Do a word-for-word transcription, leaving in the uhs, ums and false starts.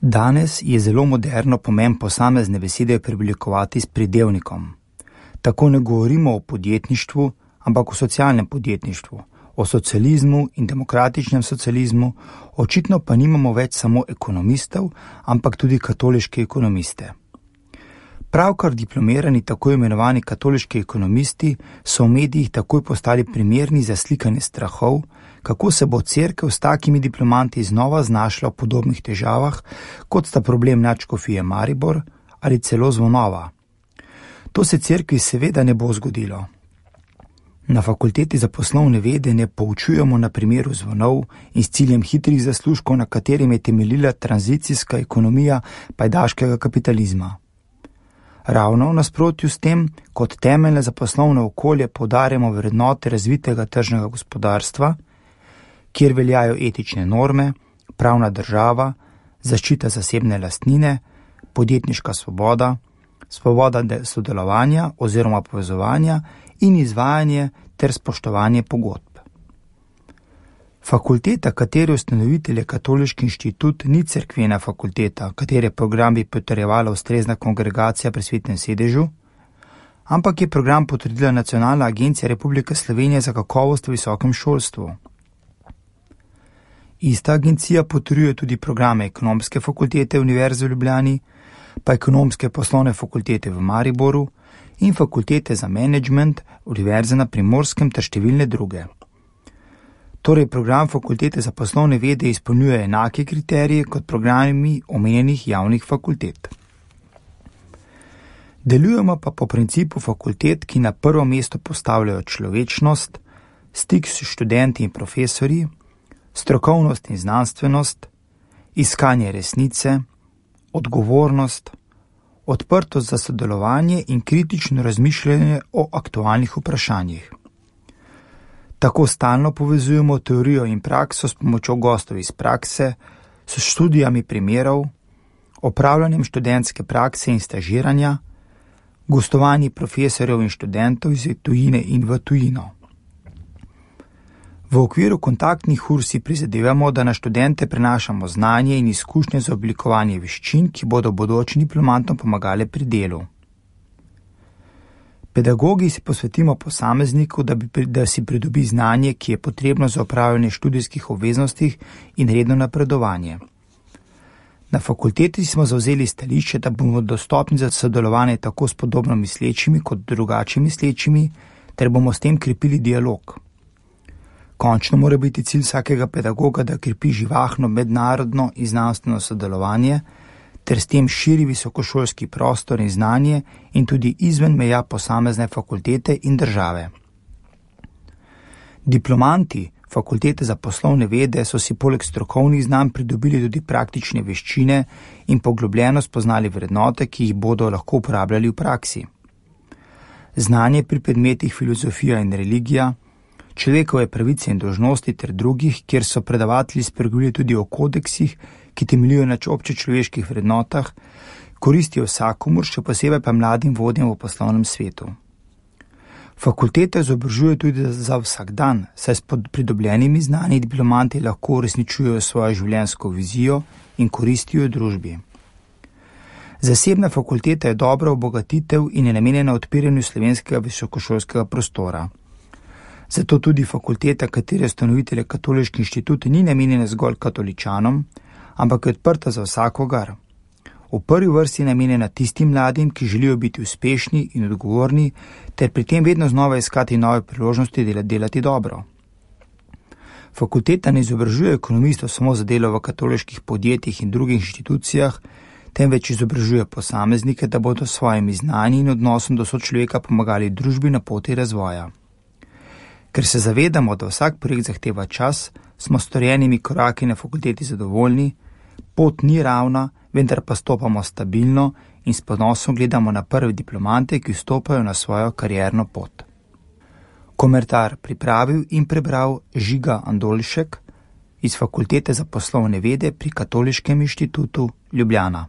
Danes je zelo moderno pomen posamezne besede preoblikovati s pridevnikom. Tako ne govorimo o podjetništvu, ampak o socialnem podjetništvu, o socializmu in demokratičnem socializmu, očitno pa nimamo več samo ekonomistov, ampak tudi katoliške ekonomiste. Pravkar diplomirani tako imenovani katoliški ekonomisti so v medijih takoj postali primerni za slikanje strahov, kako se bo cerkev s takimi diplomanti znova znašla v podobnih težavah, kot sta problem nadškofije Maribor ali celo Zvonova. To se cerkvi seveda ne bo zgodilo. Na fakulteti za poslovne vede ne poučujemo na primeru zvonov in s ciljem hitrih zaslužkov, na katerim je temeljila tranzicijska ekonomija pajdaškega kapitalizma. Ravno v nasprotju s tem, kot temeljne za poslovno okolje poudarjamo vrednote razvitega tržnega gospodarstva, kjer veljajo etične norme, pravna država, zaščita zasebne lastnine, podjetniška svoboda, svoboda sodelovanja oziroma povezovanja in izvajanje ter spoštovanje pogodb. Fakulteta, katere ustanovitelj je Katoliški inštitut, ni cerkvena fakulteta, katere program bi potrjevala ustrezna kongregacija pri Svetem sedežu, ampak je program potrdila Nacionalna agencija Republike Slovenije za kakovost v visokem šolstvu. Ista agencija potrjuje tudi programe Ekonomske fakultete Univerze v Ljubljani, pa Ekonomske poslovne fakultete v Mariboru in Fakultete za menedžment Univerze na Primorskem ter številne druge. Torej program Fakultete za poslovne vede izpolnjuje enake kriterije kot programi omenjenih javnih fakultet. Delujemo pa po principu fakultet, ki na prvo mesto postavljajo človečnost, stik s študenti in profesorji, strokovnost in znanstvenost, iskanje resnice, odgovornost, odprtost za sodelovanje in kritično razmišljanje o aktualnih vprašanjih. Tako stalno povezujemo teorijo in prakso s pomočjo gostov iz prakse, s študijami primerov, opravljanjem študentske prakse in stažiranja, gostovanji profesorjev in študentov iz tujine in v tujino. V okviru kontaktnih ur si prizadevamo, da na študente prenašamo znanje in izkušnje za oblikovanje veščin, ki bodo bodočim diplomantom pomagale pri delu. Pedagogi si posvetimo posamezniku, da, bi, da si pridobi znanje, ki je potrebno za opravljanje študijskih obveznosti in redno napredovanje. Na fakulteti smo zavzeli stališče, da bomo dostopni za sodelovanje tako s podobno mislečimi kot drugače mislečimi, ter bomo s tem krepili dialog. Končno mora biti cilj vsakega pedagoga, da krepi živahno mednarodno in znanstveno sodelovanje, ter s tem širi visokošolski prostor in znanje in tudi izven meja posamezne fakultete in države. Diplomanti Fakultete za poslovne vede so si poleg strokovnih znanj pridobili tudi praktične veščine in poglobljeno spoznali vrednote, ki jih bodo lahko uporabljali v praksi. Znanje pri predmetih filozofija in religija, človekove pravice in dolžnosti ter drugih, kjer so predavatelji spregovorili tudi o kodeksih, ki temeljijo na občečloveških vrednotah, koristijo vsakomur, še posebej pa mladim vodjem v poslovnem svetu. Fakultete izobražujejo tudi za vsak dan, saj s pridobljenimi znanji diplomanti lahko uresničujejo svojo življenjsko vizijo in koristijo družbi. Zasebna fakulteta je dobra obogatitev in je namenjena odpiranju slovenskega visokošolskega prostora. Zato tudi fakulteta, katere ustanovitelj je Katoliški inštitut, ni namenjena zgolj katoličanom, ampak je odprta za vsakogar. V prvi vrsti je namenjena tistim mladim, ki želijo biti uspešni in odgovorni, ter pri tem vedno znova iskati nove priložnosti delati, delati dobro. Fakulteta ne izobražuje ekonomistov samo za delo v katoliških podjetjih in drugih inštitucijah, temveč izobražuje posameznike, da bodo s svojimi znanji in odnosom do sočloveka pomagali družbi na poti razvoja. Ker se zavedamo, da vsak projekt zahteva čas, smo storjenimi koraki na fakulteti zadovoljni, pot ni ravna, vendar pa stopamo stabilno in s ponosom gledamo na prve diplomante, ki vstopajo na svojo karierno pot. Komentar pripravil in prebral Žiga Andolšek iz Fakultete za poslovne vede pri Katoliškem inštitutu Ljubljana.